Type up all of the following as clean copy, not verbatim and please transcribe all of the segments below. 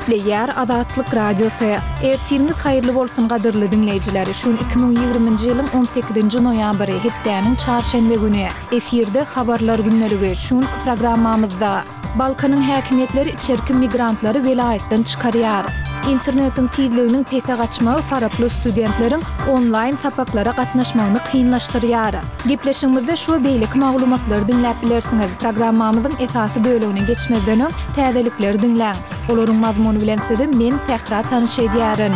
Gepleýär Azatlyk Radiosy. Ertiriňiz haýyrly bolsun gadyrly diňleýjiler! Şu gün 2020-nji ýylyň on sekizinji noýabry, hepdäniň çarşenbe güni. Efirde Habarlar gündeligi. Şu günki programmamyzda. Balkanyň häkimiýetleri içerki migrantlary welaýatdan çykarýar. Internetiň tizliginiň pese gaçmagy faraply studentleriň onlaýn sapaklara gatnaşmagyny kynlaşdyrýar. Gepleşigimizde şu we beýleki maglumatlary diňläp bilersiňiz. Programmamyzyň esasy bölegine geçmezden öň, täzelikleri diňläň. Olaryň mazmuny bilen sizi men, Sähra tanyş edýärin.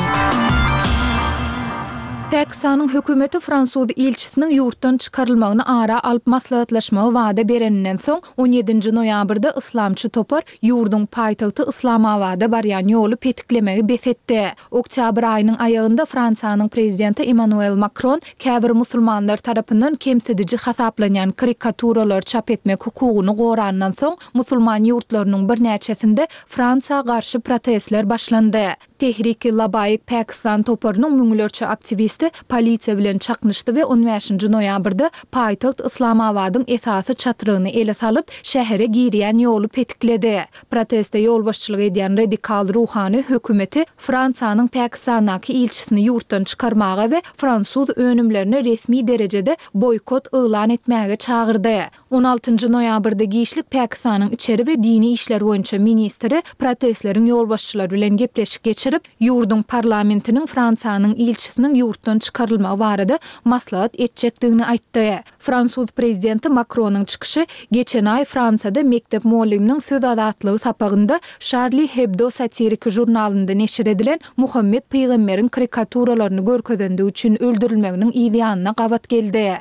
Pakistanyň hökümeti fransuz ilçisiniň ýurtdan çykarylmagyny ara alyp maslahatlaşmagy wada bereninden soň, on ýedinji noýabrda yslamçy topar ýurduň paýtagty Yslamabada barýan ýoly petiklemegi bes etdi. Oktýabr aýynyň aýagynda Fransiýanyň prezidenti Emmanuel Makron käbir musulmanlar tarapyndan kemsidiji hasaplanýan karikaturalary çap etmek hukugyny gorandan soň, musulman ýurtlarynyň birnäçesinde Fransiýa garşy protestler başlandy. Tehrik-i-Labaik Pakistan toparynyň müňlerçe aktiwisti polisiýa bilen çaknyşdy we on bäşinji noýabrda paýtagt Yslamabadyň esasy çatrygyny ele salyp, şähere girýän ýoly petikledi. Proteste ýolbaşçylyk edýän radikal ruhany hökümeti Fransiýanyň Pakistandaky ilçisini ýurtdan çykarmaga we fransuz önümlerine resmi derejede boýkot yglan etmäge çagyrdy. On altynjy noýabrda giçlik Pakistanyň içeri we dini işler boýunça ministri protestleriň ýolbaşçylary bilen gepleşik geçirip, ýurduň parlamentiniň Fransiýanyň ilçisiniň ýurtdan çykarylmagy barada maslahat etjekdigini aýtdy. Fransuz prezidenti Makronyň çykyşy geçen aý Fransiýada mekdep mugallymynyň söz azatlygy sapagynda Şarli Hebdo satiriki žurnalynda neşir edilen Muhammet pygamberiň karikaturalaryny görkezendigi üçin öldürilmeginiň yz ýanyna gabat geldi.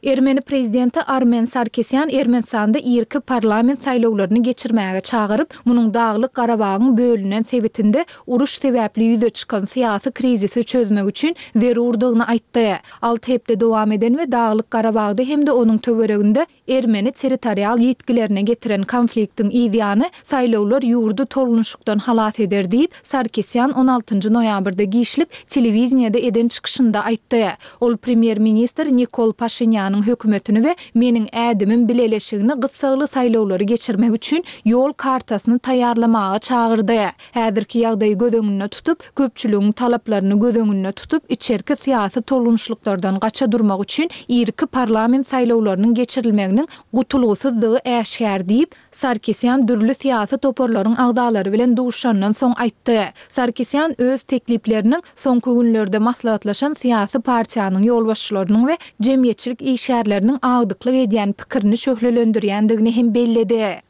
Ermeni prezidenti Armen Sarkisýan Ermenistanda irki parlament saýlawlaryny geçirmäge çagyryp, munuň Daglyk Garabagyň bölünen sebitinde uruş sebäpli ýüze çykan syýasy krizisi çözmek üçin zerurdygyny aýtdy. Alty hepde dowam eden we Daglyk Garabagda hem-de onuň töwereginde ermeni territorial ýitgilerine getiren konfliktiň yzýany saýlawlar ýurdy tolgunyşykdan halas eder diýip, Sarkisýan on altynjy noýabrda giçlik telewideniýede eden çykyşynda aýtdy. Ol premýer-ministr Nikol Paşinýanyň hökümetini we Meniň ädimim bileleşigini gyssagly saýlawlary geçirmek üçin ýol kartasyny taýýarlamaga çagyrdy. Häzirki ýagdaýy göz öňünde tutup, köpçüligiň talaplaryny göz öňünde tutup, içerki syýasy tolgunyşlyklardan gaça durmak üçin irki parlament saýlawlarynyň geçirilmeginiň gutulgysyzdygy äşgär diýip, Sarkisýan dürli syýasy toparlaryň agzalary bilen duşuşandan soň aýtdy. Sarkisýan öz teklipleriniň soňky günlerde maslahatlaşan syýasy partiýanyň ýolbaşçylarynyň we jemgyýetçilik işgärleriniň agdyklyk edýän pikirini şöhlelendirýändigini hem belledi.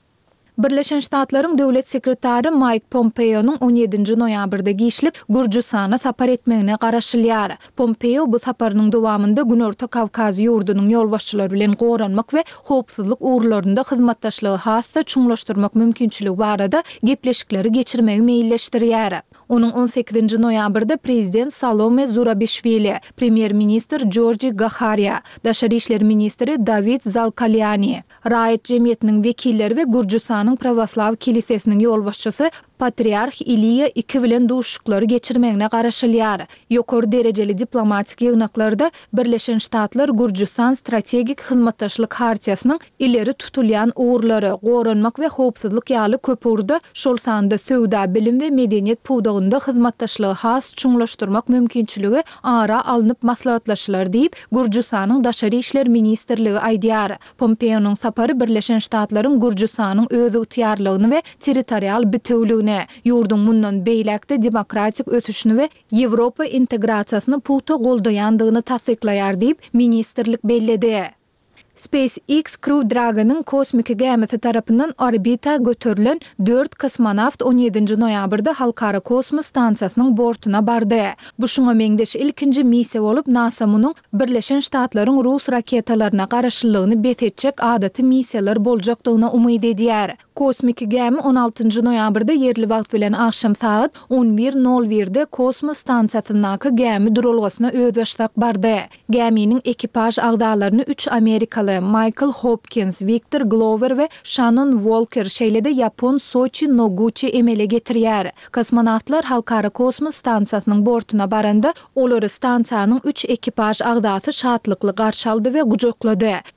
Birleşen Ştatlaryň Döwlet sekretary Maýk Pompeonyň on ýedinji noýabrda giçlik Gürjüstana sapar etmegine garaşylýar. Pompeo bu saparynyň dowamynda Günorta Kawkaz ýurdunyň ýolbaşçylary bilen goranmak we howpsuzlyk ugurlarynda hyzmatdaşlygy has-da çuňlaşdyrmak mümkinçiligi barada gepleşikleri geçirmegi meýilleşdirýär. Onuň on sekizinji noýabrda prezident Salome Zurabişwili, premýer-ministr Jorji Gahariýa, daşary işler ministri Dawid Zalkaliani, raýat jemgyýetiniň wekilleri we Gürjüstanyň prawoslaw kilisesiniň ýolbaşçysy Patriarh Iliýa I bilen duşuşyklary geçirmegine garaşylýar. Ýokary derejeli diplomatik ýygnaklarda Birleşen Ştatlar-Gürjüstan strategik hyzmatdaşlyk hartiýasynyň ileri tutulýan ugurlary, goranmak we howpsuzlyk ýaly köp ugurda, şol sanda söwda, bilim we medeniýet pudagynda hyzmatdaşlygy has çuňlaşdyrmak mümkinçiligi ara alnyp maslahatlaşylar diýip, Gürjüstanyň Daşary işler ministrligi aýdýar. Pompeonyň sapary Birleşen Ştatlaryň Gürjüstanyň özygtyýarlygyny we territorial bitewüligini, ýurduň mundan beýläk-de demokratik ösüşini we Ýewropa integrasiýasyny pugta goldaýandygyny tassyklaýar diýip, ministrlik belledi. SpaceX Crew Dragon-yň kosmiki gämisi tarapyndan orbita göterilen dört kosmonawt on ýedinji noýabrda Halkara kosmos stansiýasynyň bortuna bardy. Bu şuňa meňzeş ilkinji missiýa bolup, NASA munuň Birleşen Ştatlaryň rus raketalaryna garaşlylygyny bes etjek adaty missiýalar boljakdygyna umyt edýär. Kosmiki gämi on altynjy noýabrda ýerli wagt bilen agşam sagat on bir nol birde kosmos stansiýasyndaky gämi duralgasyna özbaşdak bardy. Gäminiň ekipaž agzalaryny üç amerikaly, Maýkl Hopkins, Wiktor Glower we Şannon Wolker, şeýle-de ýapon Soçi Noguçi emele getirýär. Kosmonawtlar Halkara kosmos stansiýasynyň bortuna baranda, olary stansiýanyň üç ekipaž agzasy şatlykly garşy aldy we gujaklady.